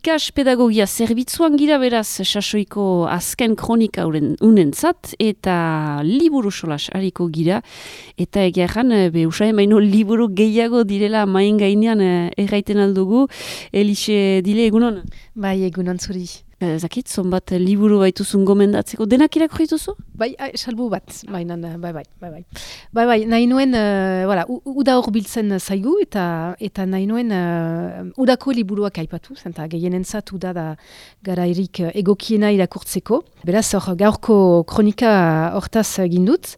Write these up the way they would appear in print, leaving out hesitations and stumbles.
ikas pedagogia zerbitzuan gira beraz sasoiko azken kronika unentzat eta liburu solas hariko gira eta egeran usain baino liburu gehiago direla main gainean erraiten aldugu. Elixe Dile, egunon? Bai, egunon zuri. Zakit, zonbat liburu baituzun gomendatzeko. Denak irakurri dituzu? Bai, salbu bat. Bai, nahi nuen, uda hor biltzen zaigu eta nahi nuen udako liburuak aipatu, zenta gehienentzat uda da garairik egokiena irakurtzeko. Beraz, hor gaurko kronika hortaz gindut.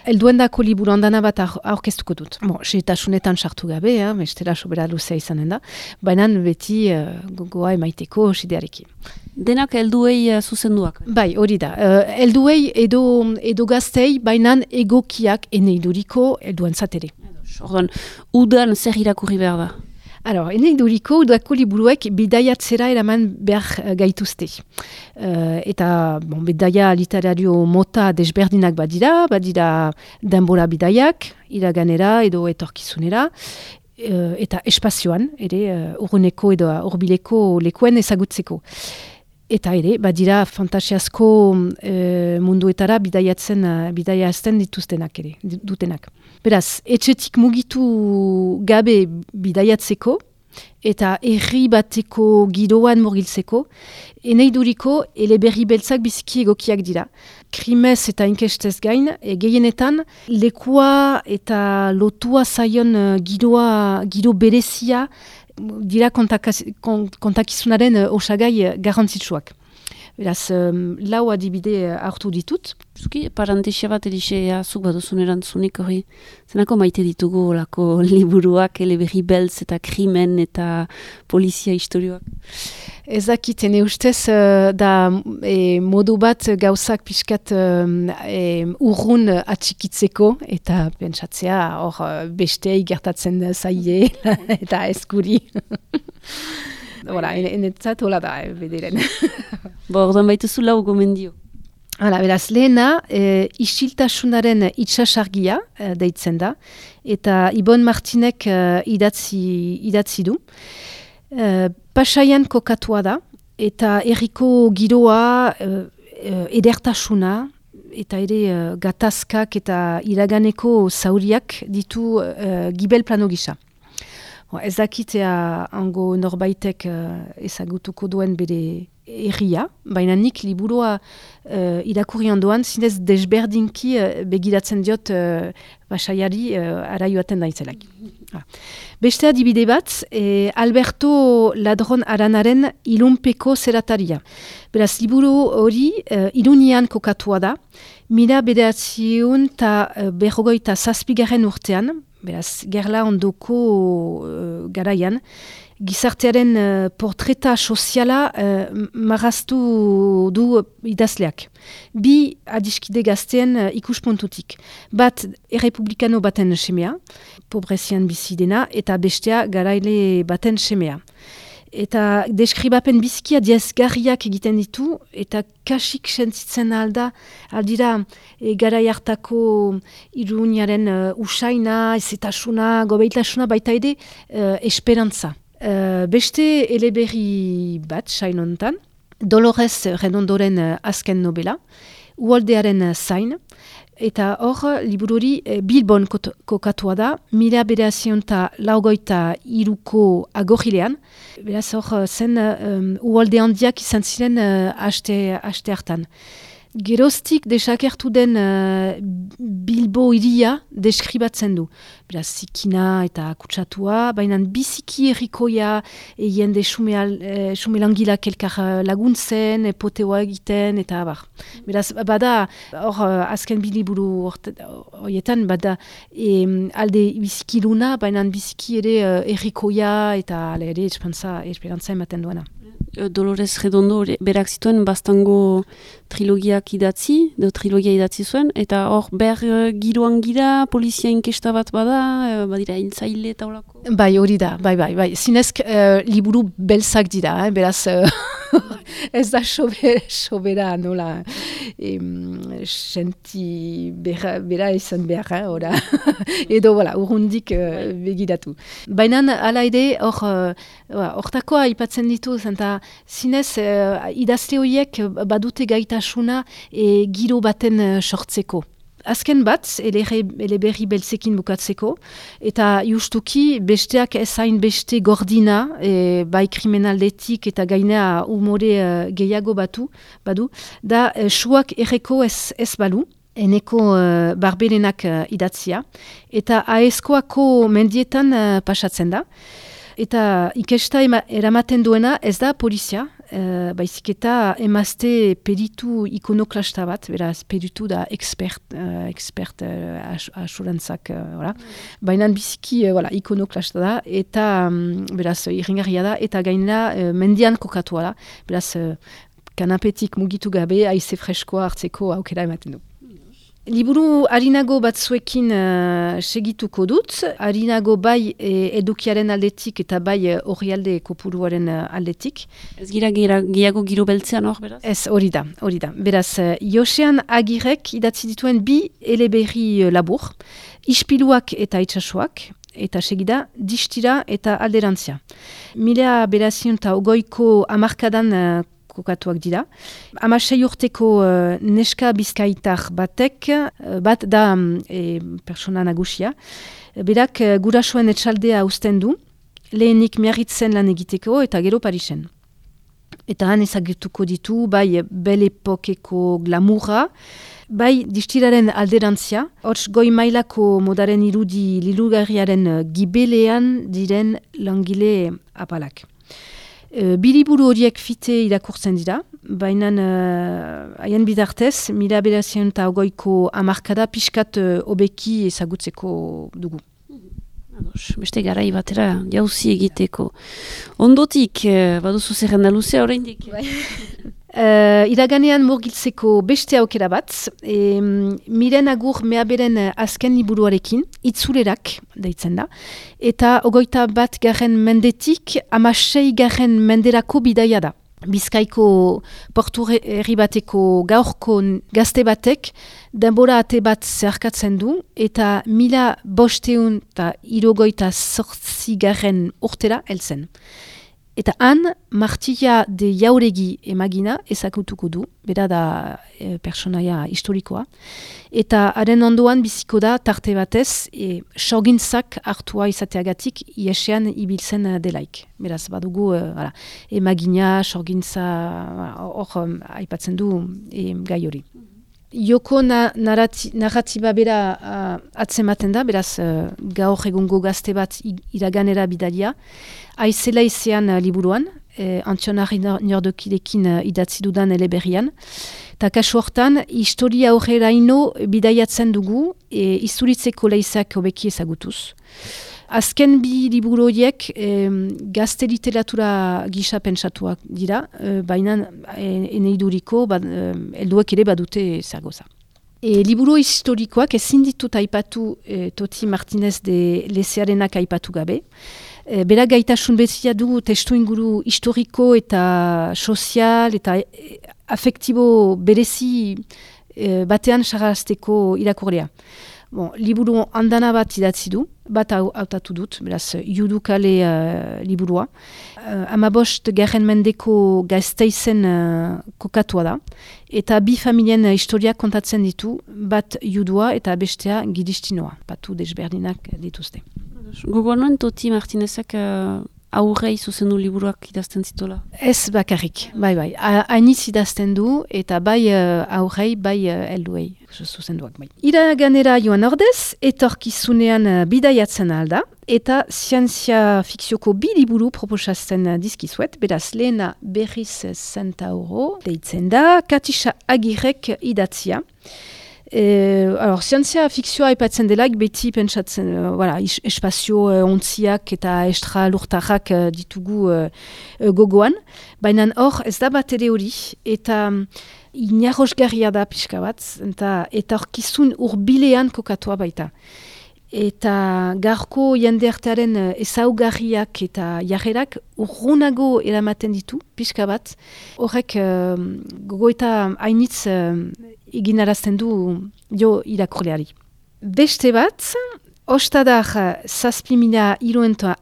Elduendako liburu handana bat aurkeztuko dut. Setasunetan sartu gabe, bestela sobera luzea izanen da. Baina beti gogoa emaiteko sidearekin. Denak helduei zuzenduak? Bai, hori da. Helduei edo gaztei, bainan egokiak eneiduriko helduentzat ere. Orduan, udan zer irakurri behar da? Eneiduriko udako liburuek bidaiatzera eraman behar gaituzte. Eta bidaia literario mota desberdinak badira denbora bidaiak, iraganera edo etorkizunera, eta espazioan, ere, urruneko edo urbileko lekuen ezagutzeko. Eta ere, badira fantasiazko munduetara bidaiazten dituztenak ere, dutenak. Beraz, etxetik mugitu gabe bidaiatzeko eta herri bateko giroan murgiltzeko, eneiduriko eleberri beltzak biziki egokiak dira. Krimez eta inkestez gain, gehienetan lekua eta lotua zaion giro berezia dira kontakizunaren osagai garrantzitsuak. Beraz, lau adibide hartu ditut. Zuki, parantesia bat edisea zuk baduzun erantzunik hori. Zenako maite ditugu olako liburuak, eleberri beltz eta krimen eta polizia historioak? Ezakiten ustez da modu bat gauzak pixkat urrun atxikitzeko eta pentsatzea hor bestei gertatzen zaie eta eskuri. Enetzat hola da, bederen. Orduan baituzu lau gomendio. Beraz, lehena, isiltasunaren itsasargia deitzen da, eta Ibon Martinek idatzi du. Pasaian kokatua da, eta herriko giroa, edertasuna, eta ere gatazkak eta iraganeko zauriak ditu gibel plano gisa. Ez dakitea hango norbaitek ezagutuko duen bere herria, baina nik liburua irakurri ondoan zinez desberdinki begiratzen diot pasaiari araioaten daitzelak. Beste adibide bat, Alberto Ladron Aranaren Ilunpeko zerataria. Beraz, liburu hori Irunian kokatua da, 1957 urtean, beraz, gerla ondoko garaian, gizartearen portreta soziala marraztu du idazleak. Bi adiskide gazteen ikuspuntutik. Bat errepublikano baten semea, pobrezian bizi dena, eta bestea garaile baten semea. Eta deskribapen bizikia diezgarriak egiten ditu, eta kasik sentitzen aldira garai hartako Iruniaren usaina, ezetasuna, gobeitasuna, baita ere esperantza. Beste eleberri bat, sainontan, Dolores Redondoren azken nobela, Uoldearen zain, eta hor, libururi Bilbon kokatua da, 1953ko agorrilean. Beraz hor, zen Uolde handiak izan ziren aste hartan. Geroztik desakertu den Bilbo iria deskribatzen du. Beraz, zikina eta kutsatua, baina biziki errikoia, jende xumelangilak elkar laguntzen, poteoa egiten, eta abar. Beraz, bada, hor azken biliburu horietan, bada alde biziki luna, baina biziki ere errikoia eta ere esperantza ematen duena. Dolores Redondo berak zituen bastango trilogia idatzi zuen, eta hor giroan gira, polizia inkesta bat badira hiltzaile eta horako. Bai, hori da, bai. Zinezk liburu belzak dira, beraz ez da sobera nola senti bera izan behar, ora. Edo, urrundik begiratu. Baina, ala ere, hortakoa ipatzen ditu, zenta zinez, idazle horiek badute gaitasuna giro baten sortzeko. Azken bat, eleberri beltzekin bukatzeko, eta justuki besteak ezain beste gordina, bai kriminaldetik eta gainea umore gehiago badu, da suak erreko ez balu, eneko barberenak idatzia, eta aezkoako mendietan pasatzen da, eta ikesta eramaten duena ez da polizia, baizik eta emazte peritu ikonoklasta bat, beraz peritu da expert asurantzak, baina biziki ikonoklasta da, eta beraz irringarria da, eta gainera mendian kokatua da, beraz kanapetik mugitu gabe, haize freskoa hartzeko aukera ematen du. Liburu harinago batzuekin segituko dut, harinago bai edukiaren aldetik eta bai orrialde kopuruaren aldetik. Ez gira gehiago giro beltzean hor, beraz? Ez, hori da. Beraz, Josean Agirrek idatzi dituen 2 eleberri labur, ispiluak eta itsasoak, eta segida distira eta alderantzia. 1920ko hamarkadan kokatuak dira. 16 urteko neska bizkaitar bat da persona nagusia. Berak gurasoen etxaldea uzten du, lehenik Miarritzen lan egiteko eta gero Parisen. Eta han ezagutuko ditu, bai bel epokeko glamurra, bai distiraren alderantzia, hots goi mailako modaren irudi lilugarriaren gibelean diren langile apalak. Biliburu horiek fite irakurtzen dira, baina haien bidartez, 1920ko hamarkada pixkat hobeki ezagutzeko dugu. Beste garai batera jauzi egiteko. Ondotik, baduzu zerrenda luzea oraindik? Iraganean murgiltzeko beste aukera bat, Miren Agur Meaberen azken liburuarekin, itzulerak deitzen da, eta 21. mendetik 16. menderako bidaia da. Bizkaiko portu herri bateko gaurko gazte batek denbora ate bat zeharkatzen du, eta 1578 urtera heltzen. Eta han, Martilla de Jauregi emagina ezagutuko du, bera da personaia historikoa. Eta haren ondoan biziko da tarte batez, sorgintzak hartua izateagatik iesean ibiltzen delaik. Beraz, badugu emagina, sorgintza, hor aipatzen du gai hori. Joko narratiba bera atzematen da, beraz gaur egungo gazte bat iraganera bidalia, aizela izean liburuan, Antionari Nordokirekin idatzi dudan eleberrian, eta kasu hortan, historia horreraino bidaiatzen dugu, izuritzeko leizak hobeki ezagutuz. Azken 2 liburu horiek gazte literatura gisa pentsatuak dira, baina eneiduriko helduek ere badute zagoza. Liburu historikoak ezin ditut aipatu Toti Martinez de Lezearenak aipatu gabe. Bera gaitasun bezia du testu inguru historiko eta sozial eta afektibo berezi batean sarazteko irakurlea. Liburu andana bat idatzi du, bat hautatu dut, beraz, judukale liburua. 15. mendeko Gasteizen kokatua da, eta 2 familien historiak kontatzen ditu, bat judua eta bestea gidistinoa, batu desberdinak dituzte. Gogoan Toti Martinezak aurrei zuzendu liburuak idazten zitola? Ez bakarrik, bai. Hainitz idazten du, eta bai aurrei, bai helduei zuzenduak. Bai. Iraganera joan ordez, etorkizunean bidaiatzen alda, eta zientzia fikzioko 2 liburu proposatzen dizkizuet, beraz lehena berriz €100 deitzen da, Katisa Agirrek idatzia. Zientzia fikzioa aipatzen delaik beti pentsatzen, espazio ontziak eta estra lurtarrak ditugu gogoan, baina hor ez da bat ere hori, eta inarrosgarria da pixka bat, eta orkizun urbilean kokatua baita. eta garko jendeartearen ezaugarriak eta jarrerak urrunago eramaten ditu, pixka bat. Horrek gogoeta hainitz eginarazten du jo irakurleari. Beste bat, ostadar 7.310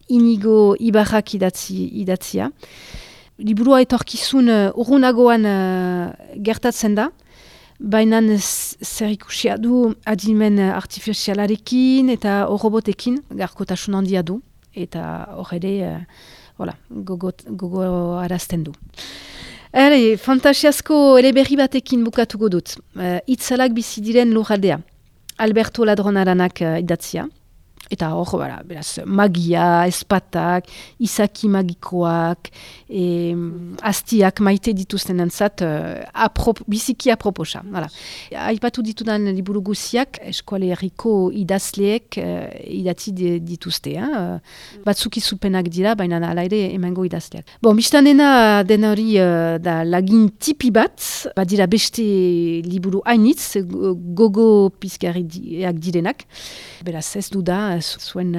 Inigo Ibarrak idatzia. Liburua etorkizun urrunagoan gertatzen da, baina zer ikusia du adimen artifizialarekin eta robotekin garkotasun handia du, eta hor ere gogo arazten du. Fantasiazko ere berri batekin bukatuko dut. Itzalak bizi diren lurraldea. Alberto Ladron-Aranak idatzia. Eta hor, beraz, magia, espatak, izaki magikoak, astiak maite dituzten entzat, biziki aproposa. Aipatu ditudan liburu guziak, eskuale herriko idazleek idatzi dituzte. Batzuk izupenak dira, baina ala ere emango idazleak. Bistan dena hori da lagin tipi bat, badira beste liburu hainitz, gogo pizgarriak direnak. Beraz, ez du da, zuen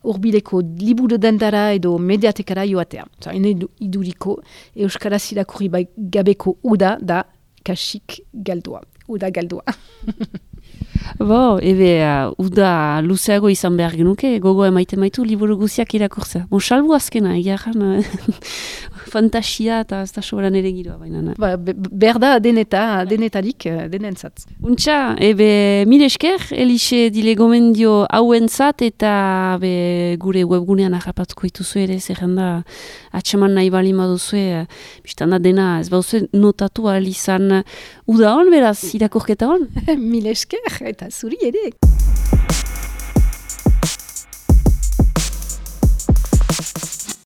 urbileko liburu dendara edo mediatekara joatea. Hene iduriko euskaraz irakurri gabeko uda da kasik galdua. Uda galdua. Uda luzeago izan behar genuke, gogo emaiten maitu liburu guziak irakurtzea. Salbu azkena, egiaran fantasia eta ez da soberan ere giroa baina. Berda denetarik denentzat. Untxa, mil esker, Elixe dile gomendio hauentzat eta gure webgunean ahrapatuko ituzu ere, zerrenda atxeman nahi bali maduzue, biztan da dena, ez bauzue notatu alizan uda hon, beraz, irakurketa hon? Mil esker, eta zuri ere.